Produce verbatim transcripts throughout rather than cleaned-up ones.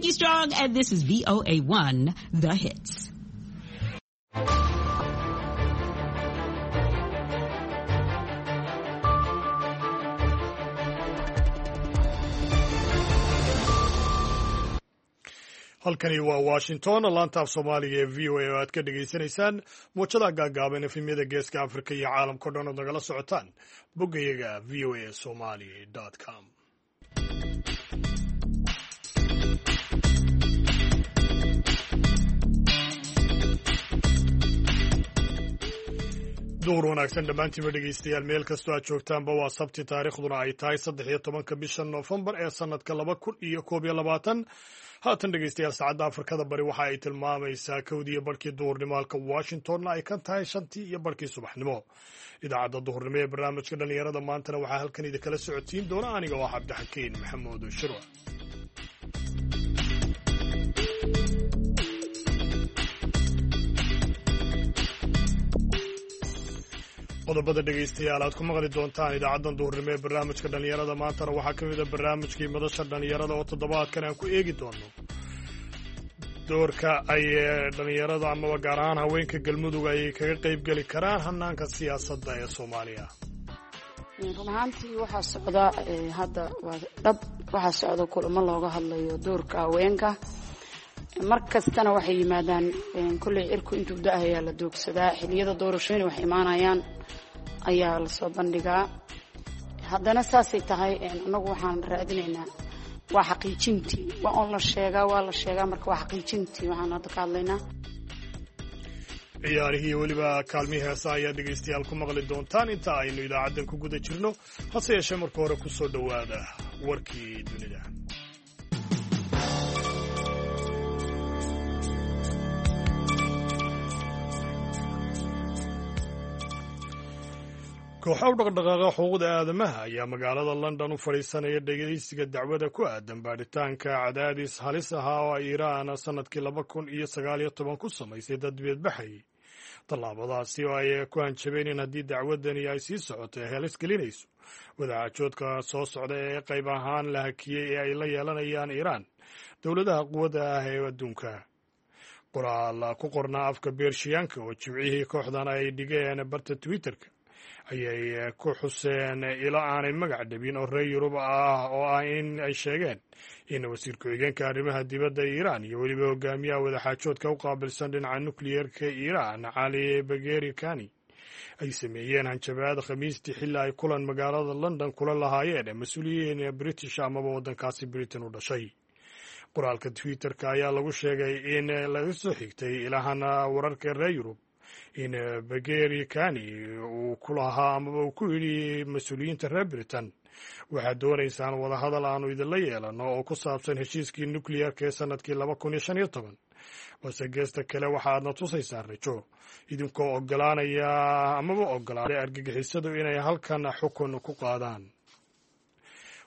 Nikki Strong, and this is V O A one, The Hits. Halkani waa Washington, laanta af Soomaaliga ee V O A oo aad ka dhegaysanaysaan muwjadaha gaagaaban, efemyada Geeska Afrika iyo caalamkao dhan ood nagala socotaan boggayaga V O A Somali com. Duhur wanaagsan dhammaantiinba, dhegeystayaal, meel kastoo aad joogtaanba. Waa Sabti, taariikhduna ay tahay saddex iyo tobanka bisha Noofembar ee sanadka laba kun iyo koob iyo labaatan. Haatan, dhegeystayaal, saacadda Afrikada Bari waxa ay tilmaamaysaa kowdii iyo barhkii duhurnimo, halka Washingtonna ay ka tahay shantii iyo barhkii subaxnimo. Idaacadda duhurnimo ee barnaamijka dhallinyarada maantana waxaa halkan idinkala socotiin doona aniga oo ah Cabdixakiin Maxamuud Shirwa. Qodobada, dhegaystayaal, aad ku maqli doontaan idaacaddan duhurnimo ee barnaamijka dhallinyarada maantana waxaa ka mid a barnaamijkii madasha dhallinyarada oo toddobaadkan aan ku eegi doono doorka ay dhallinyarada amaba gaar ahaan haweenka Galmudug ay kaga qayb geli karaan hanaanka siyaasadda ee Soomaaliya. Run ahaantii waxaa socda hadda, waa dhab, waxaa socda kulamo looga hadlayo doorka haweenka. Mar kastana waxay yimaadaan kolley cirku intuu da-ayaa la doogsadaa, xiliyada doorashooyin wax imaanayaan ayaa lasoo bandhigaa. Haddana saasay tahay, annagu waxaan raadinaynaa waa xaqiijintii. Waa on la sheegaa, waa la sheegaa, marka waa xaqiijintii waxaan hadda ka hadlaynaa. Ciyaarihii, weliba kaalmihii heesa ayaa dhegaystayaal ku maqli doontaan inta aynu idaacaddan ku guda jirno. Hase yeeshee, marka hore ku soo dhowaada warkii dunida. Kooxa u dhaqdhaqaaqa xuquuqda aadamaha ayaa magaalada London u fadhiisanaya dhegeysiga dacwada ku aadan baadhitaanka cadaadis halis ahaa oo ay Iiraan sannadkii laba kun iyo sagaal iyo toban ku samaysay dad dibadbaxayay, tallaabadaasi oo ay ku hanjabeen in haddii dacwadani ay sii socoto ay halis gelinayso wadaxaajoodka soo socda ee qayb ahaan la hakiyey ee ay la yeelanayaan Iiraan dowladaha quwadda ah ee adduunka. Qoraal ku qornaa afka Beershiyaanka oo Jimcihii kooxdan ay dhigeen barta Twitterka ayay ku xuseen ilo aanay magac dhabin oo reer Yurub ah oo ah in ay sheegeen in wasiir ku-xigeenka arrimaha dibadda Iiraan iyo weliba hogaamiyaha wadaxaajoodka u qaabilsan dhinaca nukliyeerka Iiraan, Cali Bageri Kani, ay sameeyeen hanjabaad Khamiistii xilli ay kulan magaalada London kula lahaayeen mas-uuliyiin British amaba waddankaasi Britain u dhashay. Qoraalka Twitterka ayaa lagu sheegay in laga soo xigtay ilahana wararka reer Yurub in Bageri Kani uu ku lahaa amaba uu ku yidhi mas-uuliyiinta reer Britain: "Waxaad doonaysaan wadahadal aanu idinla yeelano oo ku saabsan heshiiskii nukliyeerka ee sanadkii laba kun iyo shan iyo toban, balse geesta kale waxaadna tusaysaan rajo idinkoo ogolaanaya amaba ogolaaday argagixisadu inay halkan xukun ku qaadaan."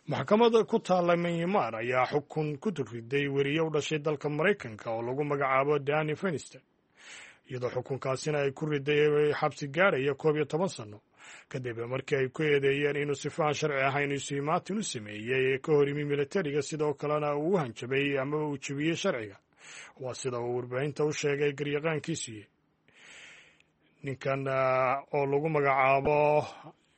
Maxkamada ku taalla Myanmar ayaa xukun ku riday weriye u dhashay dalka Maraykanka oo lagu magacaabo Danny Fenster, iyadoo xukunkaasina ay ku riday xabsi gaaraya koob iyo toban sano, kadib markii ay ku eedeeyeen inuu sifaan sharci ahayn isu imaatin u sameeyey ee ka hor yimi militariga, sidoo kalena uu u hanjabay amaba uu jebiyey sharciga. Waa sida uu warbaahinta u sheegay garyaqaankiisii. Ninkan oo lagu magacaabo,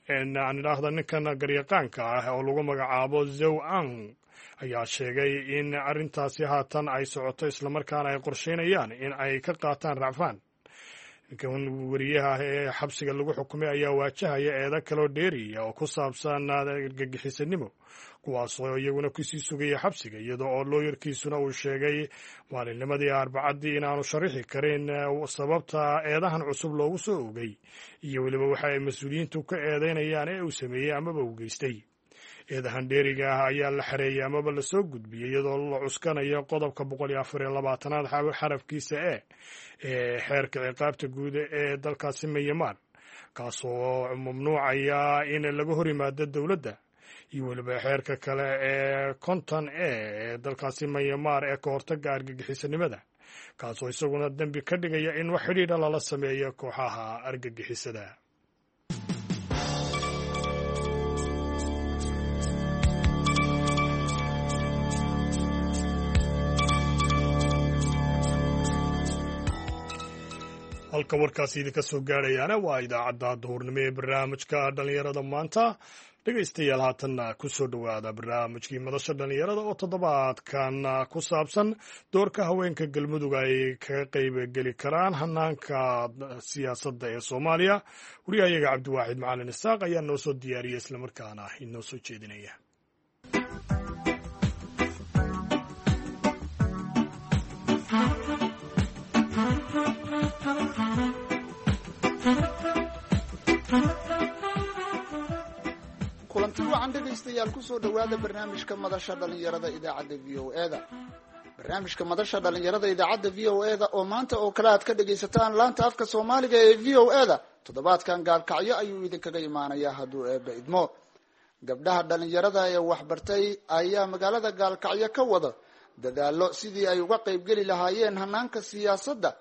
aan idhaahda, ninkan garyaqaanka ah oo lagu magacaabo Zow Ang ayaa sheegay in arrintaasi haatan ay socoto, islamarkaana ay qorsheynayaan in ay ka qaataan racfaan. Ninkan weriyaha ah ee xabsiga lagu xukumay ayaa waajahaya eedo kaloo dheeriya oo ku saabsan argagixisanimo, kuwaasoo iyaguna kusii sugaya xabsiga, iyadoo oo looyarkiisuna uu sheegay maalinnimadii Arbacaddii inaanu sharixi karin sababta eedahan cusub loogu soo ogay iyo weliba waxa ay mas-uuliyiintu ka eedeynayaan ee uu sameeyey amaba uu geystay. Eedahan dheeriga ah ayaa la xareeyey amaba lasoo gudbiyey iyadoo la cuskanayo qodobka boqol iyo afar iyo labaatanaad xarafkiisa e ee xeerka ciqaabta guud ee dalkaasi Myanmar, kaasoo mamnuucaya in laga hor yimaado dowladda, iyo weliba xeerka kale ee konton e ee dalkaasi Myanmar ee ka hortaga argagixisanimada, kaasoo isaguna dembi ka dhigaya in wax xidhiidha lala sameeyo kooxaha argagixisada. Halka warkaasi idinka soo gaadhayaana waa idaacadda duhurnimo ee barnaamijka dhallinyarada maanta. Dhegaystayaal, haatanna ku soo dhowaada barnaamijkii madasha dhallinyarada oo toddobaadkan ku saabsan doorka haweenka Galmudug ay kaga qayb geli karaan hanaanka siyaasadda ee Soomaaliya. Wariyahayaga Cabdiwaaxid Macalin Isaaq ayaa noo soo diyaariyey islamarkaana inoo soo jeedinaya. Kulanti wacan dhegaystayaal, kusoo dhowaada barnaamijka madasha dhallinyarada idaacadda V O E da. Barnaamijka madasha dhallinyarada idaacadda V O E da oo maanta oo kale aad ka dhagaysataan laanta afka Soomaaliga ee V O E da, toddobaadkan Gaalkacyo ayuu idinkaga imaanayaa hadduu Eebba idmo. Gabdhaha dhallinyarada ee waxbartay ayaa magaalada Gaalkacyo ka wada dadaalo sidii ay uga qaybgeli lahaayeen hanaanka siyaasadda.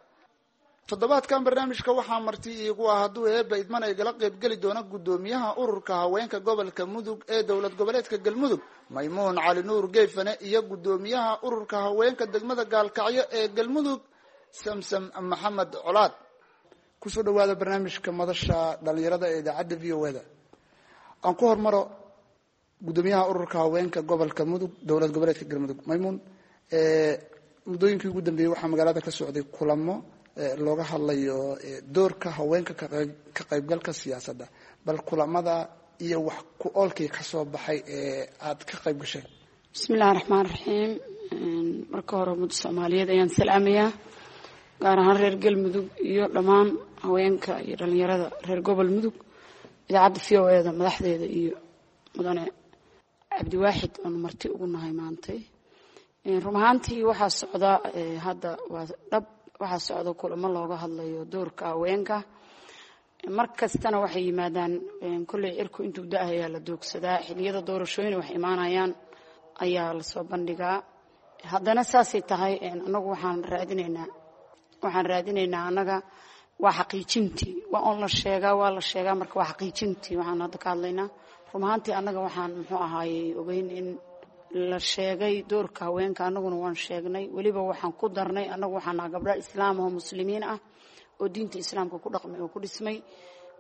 Toddobaadkan barnaamijka waxaa marti iigu ah, hadduu Eebba idmana igala qaybgeli doona, guddoomiyaha ururka haweenka gobolka Mudug ee dowlad goboleedka Galmudug, Maymuun Cali Nuur Geefane, iyo guddoomiyaha ururka haweenka degmada Gaalkacyo ee Galmudug, Samsam Maxamed Colaad. Kusoo dhawaada barnaamijka madasha dhallinyarada ee idaacadda V O E da. Aan ku hormaro guddoomiyaha ururka haweenka gobolka Mudug, dowlad goboleedka Galmudug, Maymuun. Muddooyinkii ugu dambeeyey waxaa magaalada ka socday kulamo looga hadlayo doorka haweenka ka qaybgalka siyaasadda. Bal kulamada iyo wax ku oolkii ka soo baxay ee aad ka qayb gasheen. Bismillahi raxmaan raxiim. Marka hore ummadda Soomaaliyeed ayaan salaamayaa, gaar ahaan reer Galmudug iyo dhammaan haweenka iyo dhalinyarada reer gobol Mudug, idaacadda V O E da madaxdeeda iyo mudane Cabdiwaaxid oonu marti ugu nahay maantay. Run ahaantii waxaa socda hadda, waa dhab, waxaa socda kulamo looga hadlayo doorka haweenka. Mar kastana waxay yimaadaan, kolley cirku intuu da-ayaa la doogsadaa, xilliyada doorashooyin wax imaanayaan ayaa lasoo bandhigaa. Haddana saasay tahay, annagu waxaan raadinaynaa waxaan raadinaynaa annaga waa xaqiijintii. Waa on la sheegaa, waa la sheegaa, marka waa xaqiijintii waxaan hadda ka hadlaynaa. Run ahaantii annaga waxaan muxuu ahaayey ogeyn in la sheegay doorka haweenka, annaguna waan sheegnay. Weliba waxaan ku darnay, annagu waxaan naha gabdho islaam oo muslimiin ah oo diinta islaamka ku dhaqmay oo ku dhismay.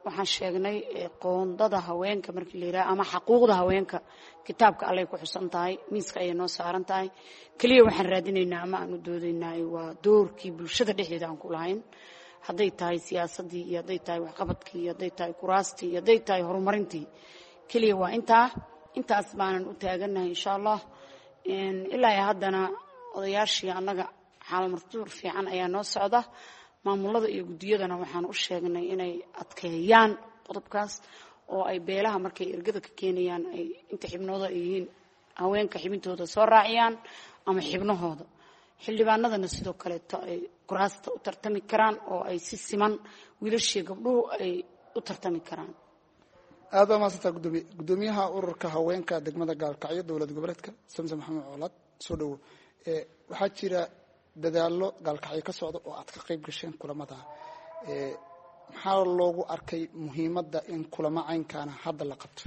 Waxaan sheegnay qoondada haweenka markii la yidhaha ama xaquuqda haweenka, kitaabka Allay ku xusan tahay, miiska ayay noo saaran tahay. Keliya waxaan raadinaynaa ama aan u doodaynaa waa doorkii bulshada dhexdeeda aan ku lahayn, hadday tahay siyaasaddii iyo hadday tahay waxqabadkii iyo hadday tahay kuraastii iyo hadday tahay horumarintii. Keliya waa intaa, intaas baanan u taagannahay insha Allah. Ilaa iyo haddana odayaashii annaga xaalmartuur fiican ayaa noo socda. Maamulada iyo guddiyadana waxaan u sheegnay inay adkeeyaan qodobkaas oo ay beelaha markay ergada ka keenayaan ay inta xibnooda ay yihiin haweenka xibintooda soo raaciyaan ama xibnahooda. Xildhibaanadana sidoo kaleeto ay kuraasta u tartami karaan oo ay si siman wiilashii gabdhuhu ay u tartami karaan. Aad baa mahadsantaa gudoomiye. Guddoomiyaha ururka haweenka degmada Gaalkacyo dowlad goboleedka, Samsam Maxamed Colaad, soo dhowo. Waxaa jira dadaallo Gaalkacyo ka socda oo aad ka qayb gasheen kulamada. Maxaa loogu arkay muhiimadda in kulamo caynkaana hadda la qabto?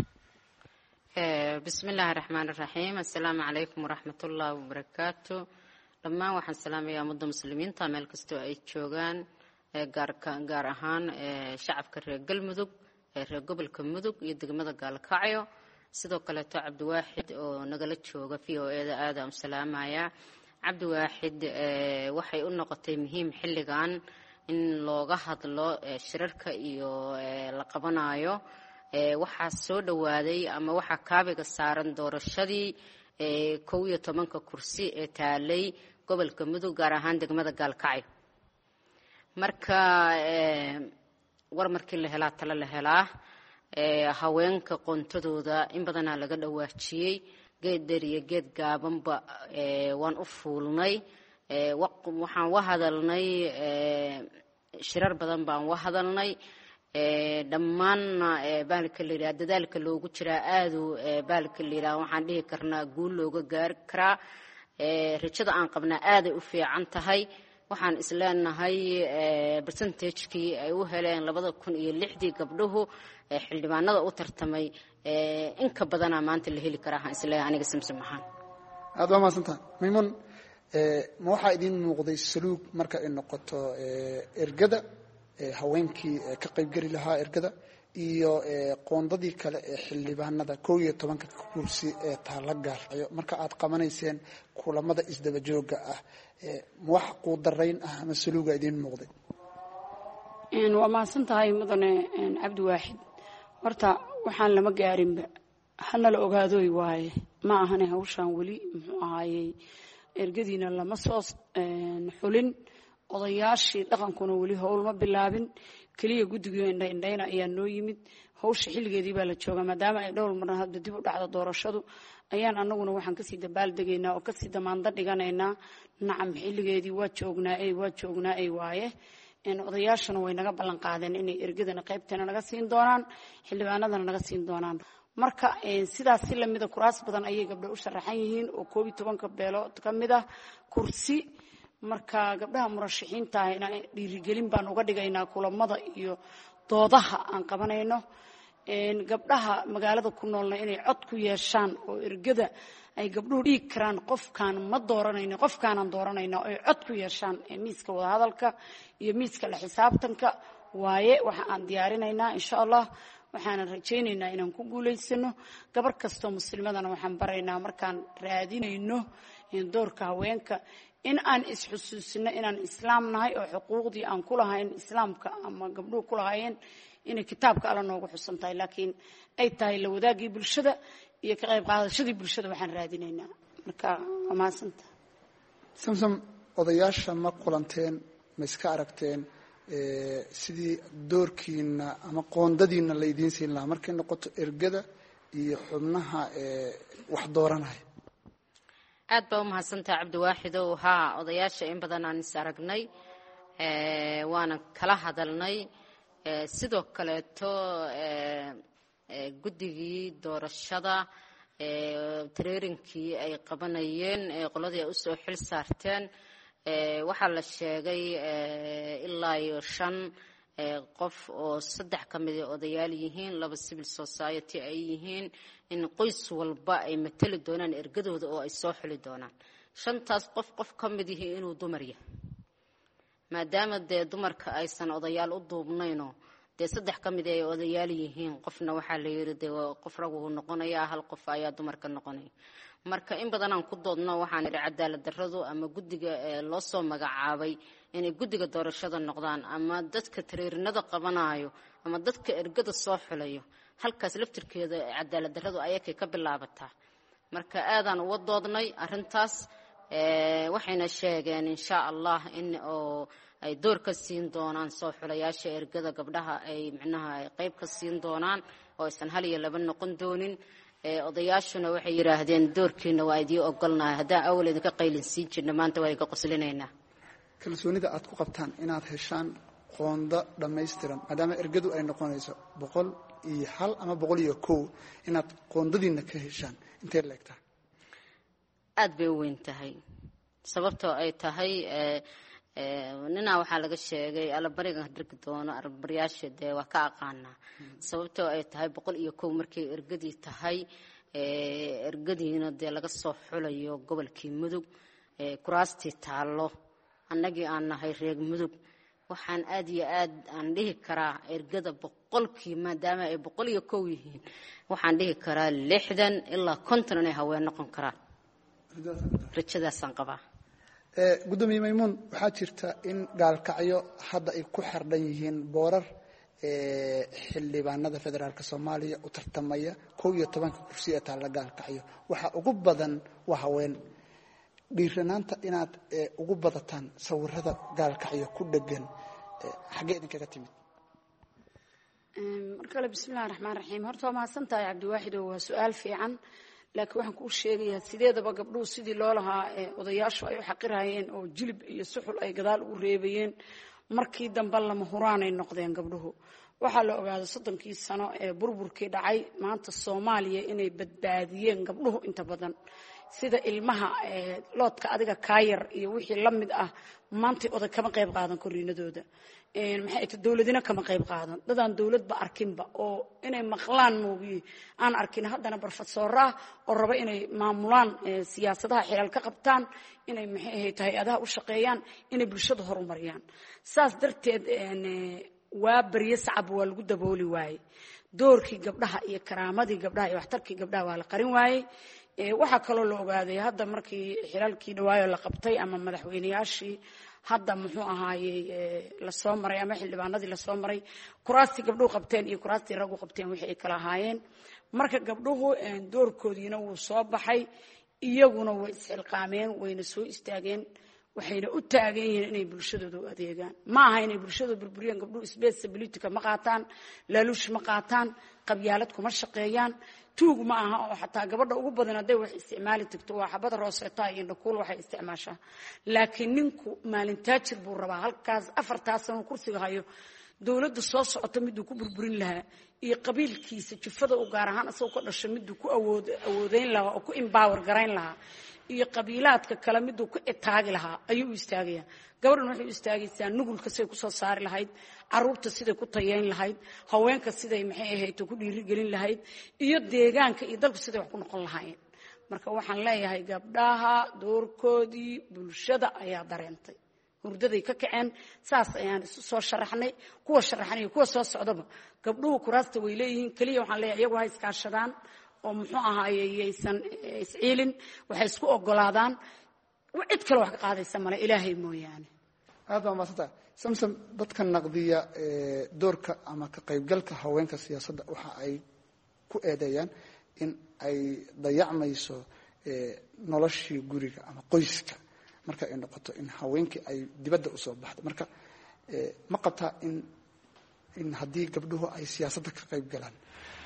Bismi illaahi raxmaan iraxiim. Assalaamu calaykum waraxmatullaahi wabarakaatu. Dhammaan waxaan salaamayaa ummadda muslimiinta meel kastoo ay joogaan, gaar ahaan shacabka reer Galmudug, reer gobolka Mudug iyo degmada Gaalkacyo. Sidoo kaleeto Cabdiwaaxid oo nagala jooga V O E da aada u salaamaya. Cabdiwaaxid, waxay u noqotay muhiim xilligan in looga hadlo shirarka iyo la qabanayo. Waxaa soo dhowaaday ama waxaa kaabiga saaran doorashadii kow iyo tobanka kursi ee taalay gobolka Mudug, gaar ahaan degmada Gaalkacyo. Marka war markii la helaa talo la helaa. Haweenka qoontadooda in badanaa laga dhawaajiyey, geed dheer iyo geed gaabanba waan u fuulnay, waxaan wa hadalnay, shirar badan baan wa hadalnay dhammaanna. Baalka la yidhaha dadaalka loogu jiraa aadu baalka la yidhaha waxaan dhihi karnaa guul looga gaari karaa. Rajada aan qabnaa aaday u fiican tahay. Waxaan isleenahay percentagekii ay u heleen labada kun iyo lixdii gabdhuhu xildhibaanada u tartamay in ka badanaa maanta la heli karaa, waxaan isleeyahay aniga Samsam ahaan. Aad baa mahadsantaha Maymuun. Ma waxaa idiin muuqday saluug marka ay noqoto ergada Haweenkii ka qaybgeli lahaa ergada iyo qoondadii kale ee xildhibaanada kow iyo tobanka kursi ee taala Gaalkacyo, marka aad qabanayseen kulamada isdaba joogga ah, wax quudarayn ah ama saluuga idiin muuqday? Waa mahadsan tahay, mudane Cabdi Waaxid. Horta waxaan lama gaarinba, hana la ogaadoy waaye. Ma ahane hawshaan weli muxuu ahaayey, ergadiina lama soo xulin, odayaashii dhaqankuna weli howl ma bilaabin. Keliya guddigii indha indhayna ayaa noo yimid. Hawsha xilligeedii baa la joogaa. Maadaama ay dhowr marna hadda dib u dhacdo doorashadu, ayaan anaguna waxaan kasii dabaaldegaynaa oo kasii damaando dhiganaynaa. Nacam, xilligeedii waa joognaa ey, waa joognaa ey waaye. Odayaashuna way naga ballan qaadeen inay ergadana qaybteena naga siin doonaan, xildhibaanadana naga siin doonaan. Marka sidaas si lamida kuraas badan ayay gabdho u sharaxan yihiin oo koob iyo tobanka beelood ka mid ah kursi. Marka gabdhaha murashaxiinta ahna dhiirigelin baan uga dhigaynaa kulamada iyo doodaha aan qabanayno. Gabdhaha magaalada ku noolna inay cod ku yeeshaan oo ergada ay gabdhuhu dhiigi karaan, qofkaan ma dooranayno, qofkaanaan dooranayna, ay cod ku yeeshaan miiska wadahadalka iyo miiska la xisaabtanka waaye. Waxa aan diyaarinaynaa, insha Allah, waxaanan rajaynaynaa inaan ku guulaysano. Gabar kastoo muslimadana waxaan baraynaa, markaan raadinayno doorka haweenka, in aan isxusuusino inaan islaam nahay oo xuquuqdii aan ku lahayn islaamka ama gabdhuhu ku lahaayeen inay kitaabka Alla noogu xusan tahay, laakiin ay tahay la wadaagii bulshada iyo ka qayb qaadashadii bulshada waxaan raadinaynaa. Marka waa mahadsanta. Samsam, odayaasha ma kulanteen? Ma iska aragteen sidii doorkiina ama qoondadiina la idiin siin lahaa markay noqoto ergada iyo xubnaha wax dooranaya? Aad baa u mahadsantaha, Cabdiwaaxidow. Haa, odayaasha in badan aan is aragnay, waana kala hadalnay. Sidoo kaleeto guddigii doorashada training-kii ay qabanayeen, qoladii ay usoo xil saarteen, waxaa la sheegay ilaa iyo shan qof oo saddex ka mid ay odayaal yihiin, laba civil society ay yihiin, in qoys walba ay matali doonaan ergadooda oo ay soo xuli doonaan. Shantaas qof, qof ka mid yihi inuu dumar yahay, maadaama dee dumarka aysan odayaal u duubnaynoo dee saddex ka mid ay odayaal yihiin, qofna waxaa la yidhi dee qof raguhu noqonayaa, hal qof ayaa dumarka noqonaya. Marka in badanaan ku doodno, waxaan idhi cadaalad darradu ama guddiga loo soo magacaabay inay guddiga doorashada noqdaan ama dadka training-ada qabanayo ama dadka ergada soo xulayo, halkaas laftirkeeda cadaalad darradu ayakay ka bilaabataa. Marka aadaan uga doodnay arrintaas, waxayna sheegeen insha Allah in oo ay door ka siin doonaan soo xulayaasha ergada, gabdhaha ay micnaha ay qayb ka siin doonaan oo aysan hal iyo laba noqon doonin. Odayaashuna waxay yidhaahdeen doorkiina waa idii ogolnahay, haddaan awal idinka qaylin siin jirna, maanta waa idinka qoslinaynaa. Kalsoonida aad ku qabtaan inaad heshaan qondo dhammaystiran, maadaama ergadu ay noqonayso boqol iyo hal ama boqol iyo kow, inaad qoondadiina ka heshaan, intay leegtahay? Aad bay u weyn tahay, sababtoo ay tahay ninaa waxaa laga sheegay allabarigan dhargi doono allabaryaasha dee waa ka aqaanaa. Sababtoo ay tahay boqol iyo kow markay ergadii tahay, ergadiina dee laga soo xulayo gobolkii Mudug, kuraastii taallo annagii aan nahay reer Mudug, waxaan aad iyo aad aan dhihi karaa ergada boqolkii, maadaama ay boqol iyo kow yihiin, waxaan dhihi karaa lixdan ilaa konton inay haween noqon karaan. Rajadaasaan qabaa. Guddoomiye Maymuun, waxaa jirta in Gaalkacyo hadda ay ku xardhan yihiin boorar xildhibaanada federaalka Soomaaliya u tartamaya kow iyo tobanka kursi ee taalla Gaalkacyo. Waxaa ugu badan waa haween. Dhiiranaanta inaad ugu badataan sawirada Gaalkacyo ku dhegan, xaggee idinkaga timid? Mar kale, bismillahi raxmaan raxiim. Horta waa mahadsan tahay, Cabdiwaaxid, oo waa su-aal fiican, laakiin waxaan kuu sheegayaa sideedaba gabdhuhu sidii loo lahaa odayaashu ay u xaqirayeen oo jilib iyo suxul ay gadaal ugu reebayeen, markii dambe lama huraanay noqdeen gabdhuhu. Waxaa la ogaaday soddonkii sano ee burburkii dhacay maanta Soomaaliya inay badbaadiyeen gabdhuhu inta badan. Sida ilmaha loodka adiga kaayar iyo wixii la mid ah, maantay oday kama qayb qaadan koriinadooda, maxay ta dowladina kama qayb qaadan. Dadaan dowladba arkinba oo inay maqlaan moogiye aan arkin, haddana barfadsoora ah oo raba inay maamulaan siyaasadaha, xilaal ka qabtaan, inay maxay ahayd hay-adaha u shaqeeyaan, inay bulshada horumariyaan. Saas darteed waa barye sacab waa lagu dabooli waayey doorkii gabdhaha iyo karaamadii gabdhaha iyo waxtarkii gabdhaha, waa la qarin waayey. Waxaa kaloo la ogaaday hadda markii xilaalkii dhawaayo la qabtay ama madaxweyneyaashii hadda muxuu ahaayey lasoo maray ama xildhibaanadii lasoo maray, kuraastii gabdhuhu qabteen iyo kuraastii raggu qabteen wixii ay kala ahaayeen. Marka gabdhuhu doorkoodiina wuu soo baxay, iyaguna way isxilqaameen, wayna soo istaageen, waxayna u taagan yihiin inay bulshadooda u adeegaan. Ma aha inay bulshadooda burburiyaan. Gabdhuhu space politica ma qaataan, laaluush ma qaataan, qabyaalad kuma shaqeeyaan, tuug ma aha, oo xataa gabadha ugu badan hadday wax isticmaali tagto waa xabada rooseetaha iyo indhakuul waxay isticmaashaa. Laakiin ninku maalin taajir buu rabaa, halkaas afartaas sano kursiga hayo dowladda soo socota miduu ku burburin lahaa iyo qabiilkiisa jufada u gaar ahaan isagoo ka dhasho miduu ku awood awoodeyn lahaa oo ku empower garayn lahaa iyo qabiilaadka kale miduu ku itaagi lahaa ayuu u istaagayaa. Gabadhan waxay u istaagaysaa nugulka siday kusoo saari lahayd, caruurta siday ku tayeyn lahayd, haweenka siday maxay ahayd ku dhiirigelin lahayd, iyo deegaanka iyo dalku siday wax ku noqon lahaayeen. Marka waxaan leeyahay gabdhaha doorkoodii bulshada ayaa dareentay, hurdaday ka kaceen. Saas ayaan isu soo sharaxnay, kuwa sharaxnay iyo kuwa soo socdaba gabdhuhu kuraasta way leeyihiin. Keliya waxaan leeyahay iyagu ha iskaashadaan oo muxuu ahaaye yaysan isciilin, waxay isku ogolaadaan. Cid kale wax ka qaadaysa male Ilaahay mooyaane. Aad baa maadsantaha, Samsam. Dadka naqdiya doorka ama ka qaybgalka haweenka siyaasadda waxa ay ku eedeeyaan in ay dayacmayso noloshii guriga ama qoyska marka ay noqoto in haweenkii ay dibadda usoo baxdo. Marka ma qabtaa in in haddii gabdhuhu ay siyaasadda ka qayb galaan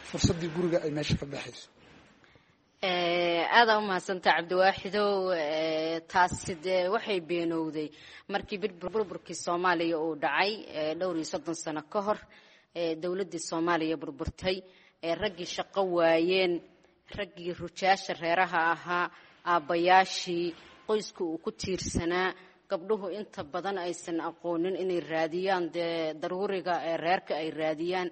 fursaddii guriga ay meesha ka baxayso? Aadaa u mahadsantaa, Cabdiwaaxidow. Taasi dee waxay beenowday markii burburkii Soomaaliya uu dhacay dhowr iyo soddon sano ka hor, dowladdii Soomaaliya burburtay, raggii shaqo waayeen, raggii rujaasha reeraha ahaa, aabbayaashii qoyska uu ku tiirsanaa. Gabdhuhu inta badan aysan aqoonin inay raadiyaan dee daruuriga ee reerka ay raadiyaan,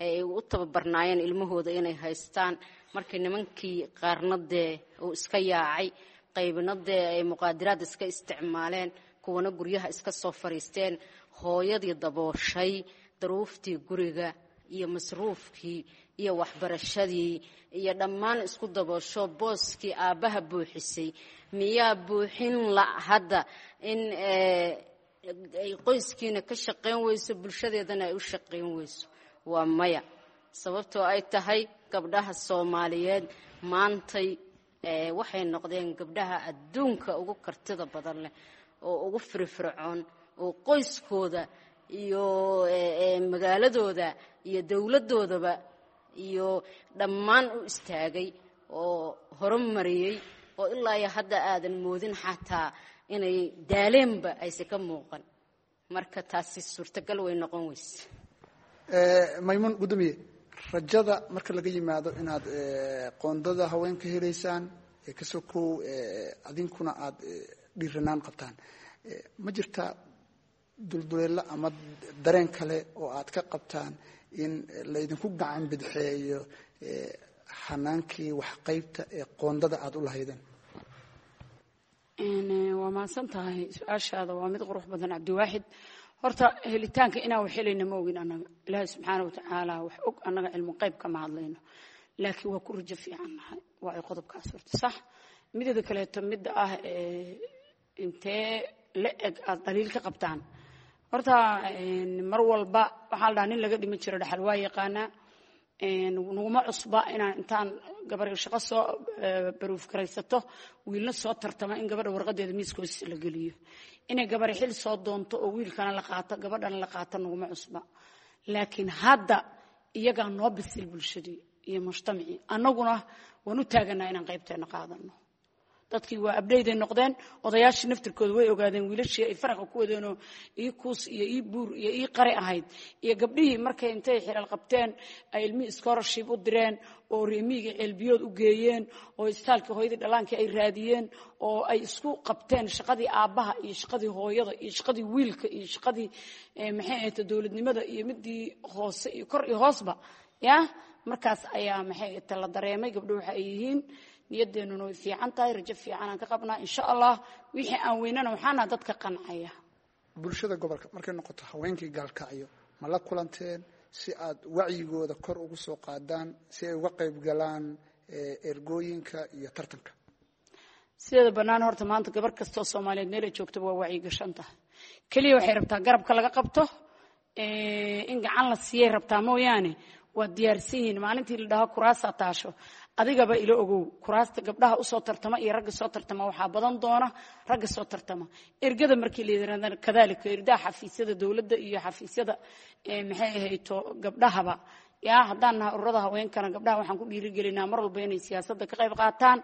ay u tababarnaayeen ilmahooda inay haystaan. Markii nimankii qaarna dee uu iska yaacay, qaybna dee ay muqaadiraad iska isticmaaleen, kuwana guryaha iska soo fariisteen, hooyadii dabooshay daruuftii guriga iyo masruufkii iyo waxbarashadii iyo dhammaan isku daboosho, booskii aabbaha buuxisay, miyaa buuxin la hadda in ay qoyskiina ka shaqayn weyso, bulshadeedana ay u shaqayn weyso? Waa maya. Sababtoo ay tahay gabdhaha Soomaaliyeed maantay waxay noqdeen gabdhaha adduunka ugu kartida badan leh oo ugu firfircoon oo qoyskooda iyo magaaladooda iyo dowladdoodaba iyo dhammaan u istaagay oo horumariyey, oo ilaa iyo hadda aadan moodin xataa inay daaleenba ayse ka muuqan. Marka taasi suurtagal way noqon weyse. Maymuun gudoomiye, rajada marka laga yimaado inaad qoondada haweenka helaysaan kasoo kow, adinkuna aada dhiiranaan qabtaan, ma jirtaa dulduleelo ama dareen kale oo aad ka qabtaan in laydinku gacan bidxeeyo xanaankii waxqaybta ee qoondada aada u lahaydeen? Waa mahadsan tahay, su-aashaada waa mid qurux badan, Cabdiwaaxid. Horta helitaanka inaan wax helayna ma ogin annaga, Ilaahay subxaana watacaala wax og, annaga cilmu qayb kama hadlayno, laakiin waa ku rajo fiican nahay. Waa ay qodobkaas horta sax. Mideeda kaleeto, midda ah intee la eg aada dhaliil ka qabtaan, horta mar walba waxaa la dhahaa nin laga dhiman jiro dhaxal waa yaqaanaa. Naguma cusba inaan intaan gabar shaqo soo baruuf garaysato, wiilna soo tartama, in gabadha warqadeeda miiska hoostiisa la geliyo. Inay gabar xil soo doonto oo wiilkana la qaato, gabadhana la qaato, naguma cusba. Laakiin hadda iyagaa noo bisil bulshadii iyo mujtamacii, annaguna waan u taaganaa inaan qaybteena qaadano. Dadkii waa abdhayday noqdeen, odayaashii naftirkooda way ogaadeen wiilashii ay faraqa ku wadeenoo ii kuus iyo ii buur iyo ii qari ahayd, iyo gabdhihii markay intay xilal qabteen ay ilmihii scholarship u direen Oo reemiyiga ceelbiyood u geeyeen, oo istaalkii hooyadii dhallaankii ay raadiyeen, oo ay isku qabteen shaqadii aabbaha iyo shaqadii hooyada iyo shaqadii wiilka iyo shaqadii maxay ahayd dowladnimada iyo midii hoose iyo kor iyo hoosba ya. Markaas ayaa maxay ahayd la dareemay gabdho waxa ay yihiin. Niyadeennuna way fiican tahay, rajo fiican aan ka qabnaa, insha Allah. Wixii aan weynana waxaana dadka qancaya. Bulshada gobolka markay noqoto, haweenkii Gaalkacyo ma la kulanteen si aad wacyigooda kor ugu soo qaadaan, si ay uga qayb galaan ergooyinka iyo tartanka? Sideeda bannaan horta maanta gabar kastoo Soomaaliyeed meel ay joogtaba waa wacyi gashan tahay. Keliya waxay rabtaa garabka laga qabto, in gacan la siiyay rabtaa mooyaane, waa diyaarsan yihiin. Maalintii la dhaho kuraasaa taasho, adigaba ila ogow, kuraasta gabdhaha usoo tartama iyo ragga soo tartama waxaa badan doona ragga soo tartama. Ergada markii la yidhahdana kadaalika, erdaha xafiisyada dowladda iyo xafiisyada maxay ahayto gabdhahaba yaa. Haddaan nahay ururada haweenkana, gabdhaha waxaan ku dhiirigelinaa mar walba inay siyaasadda ka qayb qaataan,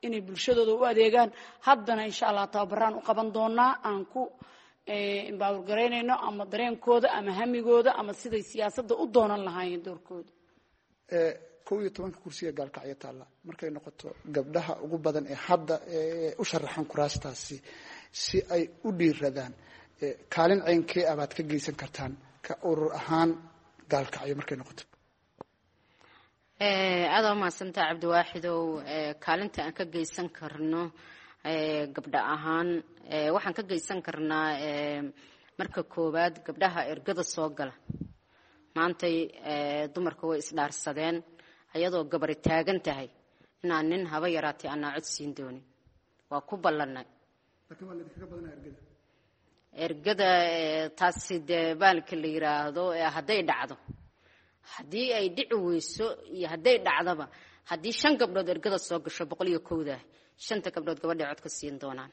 inay bulshadooda u adeegaan. Haddana insha Allah tababaraan u qaban doonaa aan ku empower garaynayno ama dareenkooda ama hamigooda ama siday siyaasadda u doonan lahaayeen doorkooda. Kow iyo tobanka kursiga Gaalkacyo taalla, markay noqoto gabdhaha ugu badan ee hadda u sharaxan kuraastaasi, si ay u dhiiradaan, kaalin ceynkee ah baad ka geysan kartaan ka urur ahaan Gaalkacyo markay noqoto? Aada u mahadsantaha, Cabdiwaaxidow. Kaalinta aan ka geysan karno gabdha ahaan, waxaan ka geysan karnaa marka koowaad gabdhaha ergada soo gala. Maantay dumarka way isdhaarsadeen, ayadoo gabari taagan tahay inaan nin haba yaraatay anaa cod siin doonin, waa ku ballanay ergada taasi. Dee baalka la yiraahdo hadday dhacdo, haddii ay dhici weyso iyo hadday dhacdaba, haddii shan gabdhood ergada soo gasho, boqol iyo kowda shanta gabdhood gabadhay cod ka siin doonaan.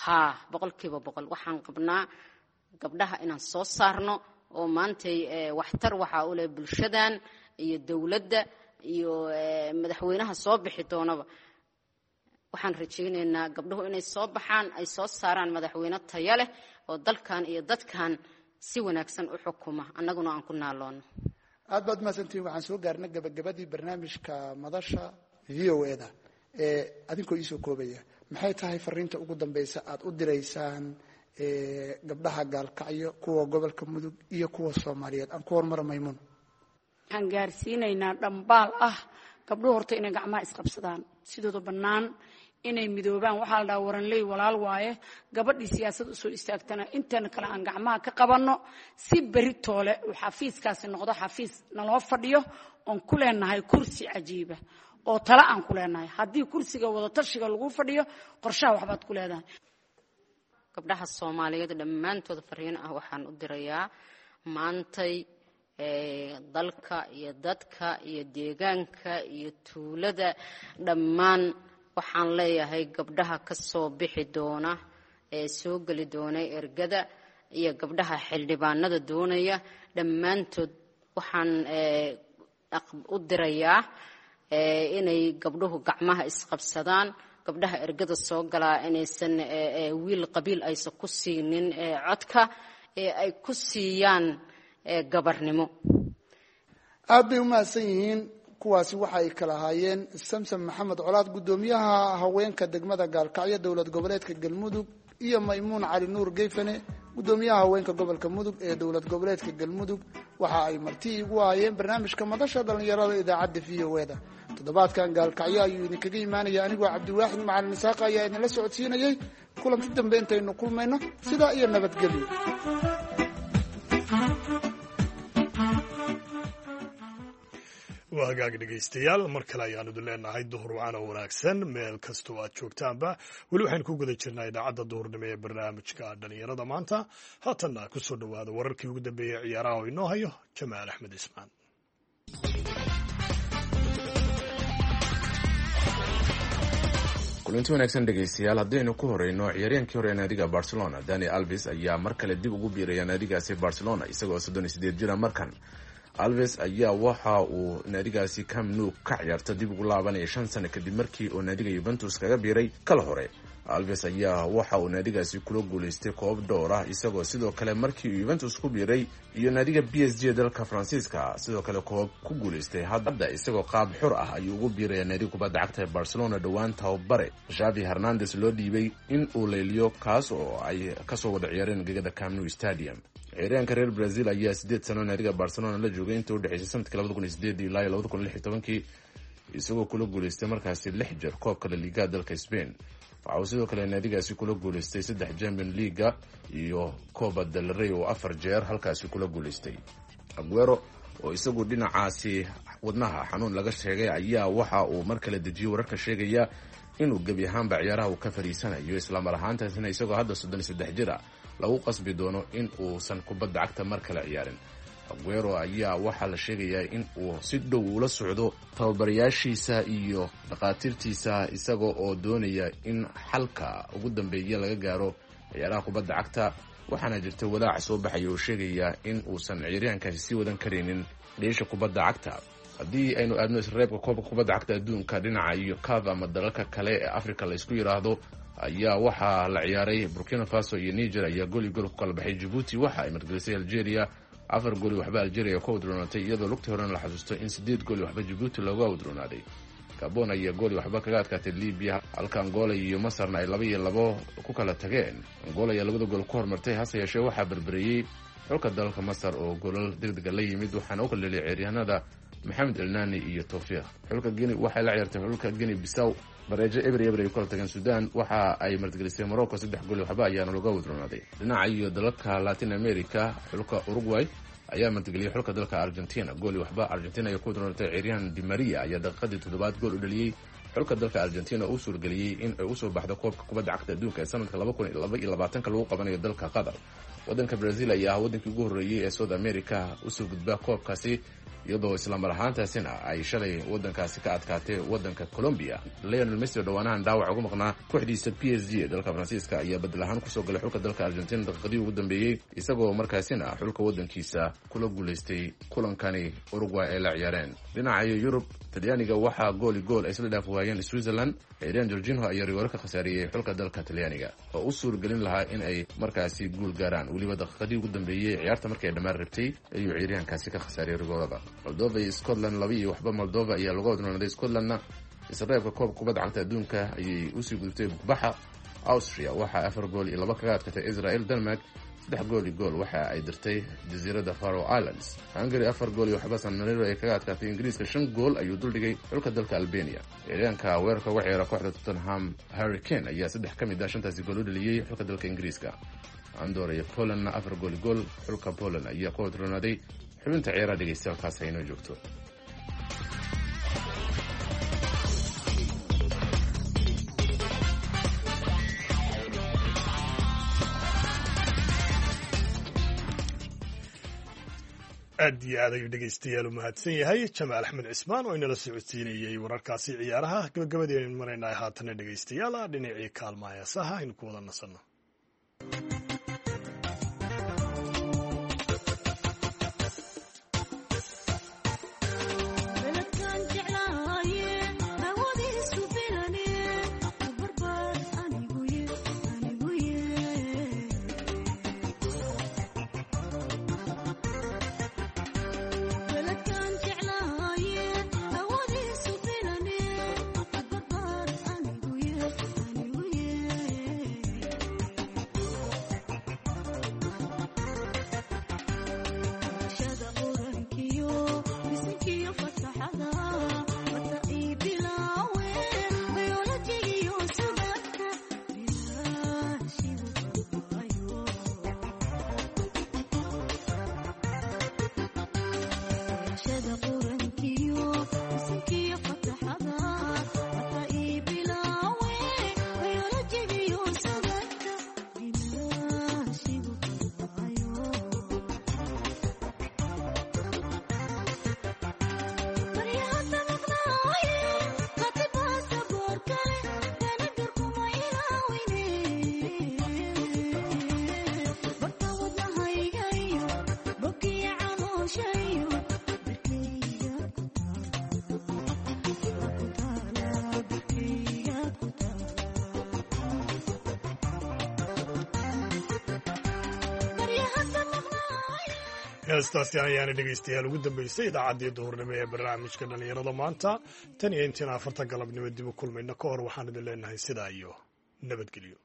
Haa, boqolkiiba boqol waxaan qabnaa gabdhaha inaan soo saarno, oo maantay waxtar waxaa u leh bulshadan iyo dowladda iyo madaxweynaha soo bixi doonaba. Waxaan rajaynaynaa gabdhuhu inay soo baxaan, ay soo saaraan madaxweyne taya leh oo dalkan iyo dadkan si wanaagsan u xukuma, annaguna aan ku naaloono. Aad baad mahadsantihiin. Waxaan soo gaarnay gabagabadii barnaamijka madasha V O E da. Ee adinkoo iisoo koobaya, maxay tahay fariinta ugu dambeysa aad u diraysaan gabdhaha Gaalkacyo, kuwa gobolka Mudug iyo kuwa Soomaaliyeed? Aan ku hormaro Maymuun. Waxaan gaarsiinaynaa dhambaal ah gabdhuhu horta inay gacmaha isqabsadaan, sidooda bannaan inay midoobaan. Waxaa la dhahaa waranley walaal waaye. Gabadhii siyaasad usoo istaagtana inteena kale aan gacmaha ka qabanno, si beri toole uu xafiiskaasi noqdo xafiis naloo fadhiyo oon ku leenahay kursi cajiiba oo tale aan ku leenahay. Haddii kursiga wadatashiga lagu fadhiyo, qorshaha waxbaad ku leedahay. Gabdhaha Soomaaliyeed dhammaantood fariin ah waxaan u dirayaa: maantay dalka iyo dadka iyo deegaanka iyo tuulada dhammaan waxaan leeyahay, gabdhaha ka soo bixi doona ee soo geli doona ergada iyo gabdhaha xildhibaanada doonaya, dhammaantood waxaan u dirayaa inay gabdhuhu gacmaha isqabsadaan. Gabdhaha ergada soo galaa inaysan wiil qabiil aysan ku siinin codka, ee ay ku siiyaan gabarnimo. Aad bay u mahadsan yihiin. Kuwaasi waxa ay kala ahaayeen Samsam Maxamed Colaad, guddoomiyaha haweenka degmada Gaalkacyo, dowlad goboleedka Galmudug, iyo Maymuun Cali Nuur Geyfane, guddoomiyaha haweenka gobolka Mudug ee dowlad goboleedka Galmudug. Waxa ay marti igu ahaayeen barnaamijka madasha dhallinyarada idaacadda V O E da. Toddobaadkan Gaalkacyo ayuu idinkaga imaanaya. Anigoo Cabdiwaaxid Macalin Isaaqa ayaa idinla socodsiinayay. Kulanti dambe intaynu kulmayno, sidaa iyo nabadgelyo. Waa hagaag, dhegaystayaal, mar kale ayaan idin leenahay duhur wacan oo wanaagsan meel kastoo aad joogtaanba. Weli waxaynu ku guda jirnaa idaacadda duhurnimo ee barnaamijka dhallinyarada maanta. Haatanna ku soo dhowaada wararkii ugu dambeeyey ciyaaraha oo inoo hayo Jamaal Axmed Ismaan. Kulanti wanaagsan, dhegaystayaal. Haddaynu ku horeyno, ciyaaryahankii hore ee naadiga Barcelona Dani Alves ayaa mar kale dib ugu biiraya naadigaasi Barcelona, isagoo soddon iyo sideed jira. Markan Alves ayaa waxa uu naadigaasi Camp Nou ka ciyaarta dib ugu laabanaya shan sano kadib markii uu naadiga Juventus kaga biiray kala hore. Alves ayaa waxa uu naadigaasi kula guulaystay koob dhowr ah, isagoo sidoo kale markii uu Juventus ku biiray iyo naadiga B S G dalka Faransiiska sidoo kale koob ku guulaystay. Hadda isagoo qaab xur ah ayuu ugu biiraya naadiga kubadda cagta ee Barcelona. Dhowaan tababare Xavi Hernandez loo dhiibay in uu leeliyo, kaas oo ay kasoo wada ciyaareen gegada Camp Nou Stadium. Ciyaaryahanka reer Brazil ayaa sideed sano naadiga Barcelona la joogay inta udhexeysay sanadkii labada kun iyo sideed ilaa labada kun iyo lix iyo tobankii, isagoo kula guulaystay markaasi lix jeer koobka La Liga dalka Spain. Waxa uu sidoo kale naadigaasi kula guulaystay saddex Champion Leaga iyo Copa del Rey oo afar jeer halkaasi kula guulaystay. Aguero oo isagu dhinacaasi wadnaha xanuun laga sheegay ayaa waxa uu mar kale dejiyey wararka sheegaya inuu gebi ahaanba ciyaaraha uu ka fariisanayo, islamar ahaantaasina isagoo hadda soddon iyo saddex jir ah lagu qasbi doono in uusan kubadda cagta mar kale ciyaarin. Aguero ayaa waxaa la sheegayaa in uu si dhow ula socdo tababarayaashiisa iyo dhakhaatiirtiisa, isaga oo doonaya in xalka ugu dambeeya laga gaaro ciyaaraha kubadda cagta. Waxaana jirta walaac soo baxaya oo sheegaya in uusan ciyaaryahankaasi sii wadan karaynin dheesha kubadda cagta. Haddii aynu aadno isreebka koobka kubadda cagta adduunka dhinaca iyo caf ama dalalka kale ee Africa la isku yidhaahdo ayaa waxaa la ciyaaray. Burkina Faso iyo Niger ayaa gool iyo gool ku kala baxay. Djibouti waxa ay margelisay Algeria afar gooli waxba, Algeria ku awdroonatay, iyadoo lugtii horena la xasuusto in sideed gooli waxba Djibouti looga awdroonaaday. Gabon ayaa gooli waxba kaga adkaatay Libya, halka Angola iyo Masarna ay laba iyo labo ku kala tageen. Angola ayaa labada gool ku hormartay, hase yeeshee waxaa berbereeyey xulka dalka Masar oo goolal degdega la yimid, waxaana u kala dheliyay ciyaaryahanada Maxamed Elnani iyo Tawfiiq. Xulka Guinea waxay la ciyaartay xulka Guinea Bissau, bareejo eber eber ay ku kala tageen. Sudan waxa ay martigelisay Morocco, saddex gool waxba ayaana looga wadroonaaday. Dhinaca iyo dalalka Latin America, xulka Uruguay ayaa martigeliyay xulka dalka Argentina, gool waxba Argentina ayaa ku wadroonatay. Ciyaaryahan Di Maria ayaa daqiiqadii toddobaad gool u dhaliyey xulka dalka Argentina oo u suurgeliyey in ay usoo baxdo koobka kubadda cagta adduunka ee sanadka laba kun iyo laba iyo labaatanka lagu qabanayo dalka Qatar. Waddanka Brazil ayaa ah waddankii ugu horreeyey ee South America usoo gudba koobkaasi, iyadoo islamar ahaantaasina ay shalay waddankaasi ka adkaatay waddanka Colombia. Leonel Messi oo dhowaanahan dhaawac uga maqnaa kooxdiisa P S G ee dalka Faransiiska ayaa bedel ahaan kusoo galay xulka dalka Argentina daqiiqadii ugu dambeeyey, isagoo markaasina xulka waddankiisa kula guulaystay kulankani Uruguay ay la ciyaareen. Dhinaca Yurub, Talyaaniga waxaa gooli gool ay isla dhaaf waayeen Switzerland. Ciiraan Jorginho ayaa rigoore ka khasaariyey xulka dalka Talyaaniga oo u suurgelin lahaa in ay markaasi guul gaaraan. Weliba daqiiqadii ugu dambeeyey ciyaarta markii ay dhammaan rabtay ayuu ciiryahankaasi ka khasaariyey rigoorada. Moldova iyo Scotland laba iyo waxba Moldova ayaa lagu odnoonaday. Scotlandna isreebka koobka kubadda cagta adduunka ayay usii gudubtay bugbaxa. Austria waxaa afar gool iyo laba kaga adkatay Israel. Denmark saddex gool iyo gool waxa ay dirtay jasiiradda Faroe Islands. Hungary afar gool iyo waxba San Marino ay kaga adkaatay. Ingiriiska shan gool ayuu duldhigay xulka dalka Albania. Ciyaaryahanka weerarka uga ciyaara kooxda Tottenham Harry Kane ayaa saddex ka mid ah shantaasi gool u dhaliyey xulka dalka Ingiriiska. Andorra iyo Polandna afar gool iyo gool xulka Poland ayaa ku odroonaaday. Xubinta ciyaaraha dhegeystayaal haynoo joogto. Aad iyo aad ayuu dhegeystayaal u mahadsan yahay Jamaal Axmed Cismaan oo inala socodsiinayey wararkaasi ciyaaraha. Gabagabadii aynu maraynaa haatana dhegeystayaal dhinacii kaalmaha heesaha aynu ku wada nasanno. Heestaasi ayaana dhegaystayaal ugu dambeysay idaacaddii duhurnimo ee barnaamijka dhallinyarada maanta. Tan iyo intiin afarta galabnimo dib u kulmayno ka hor, waxaan idin leenahay sidaa iyo nabadgelyo.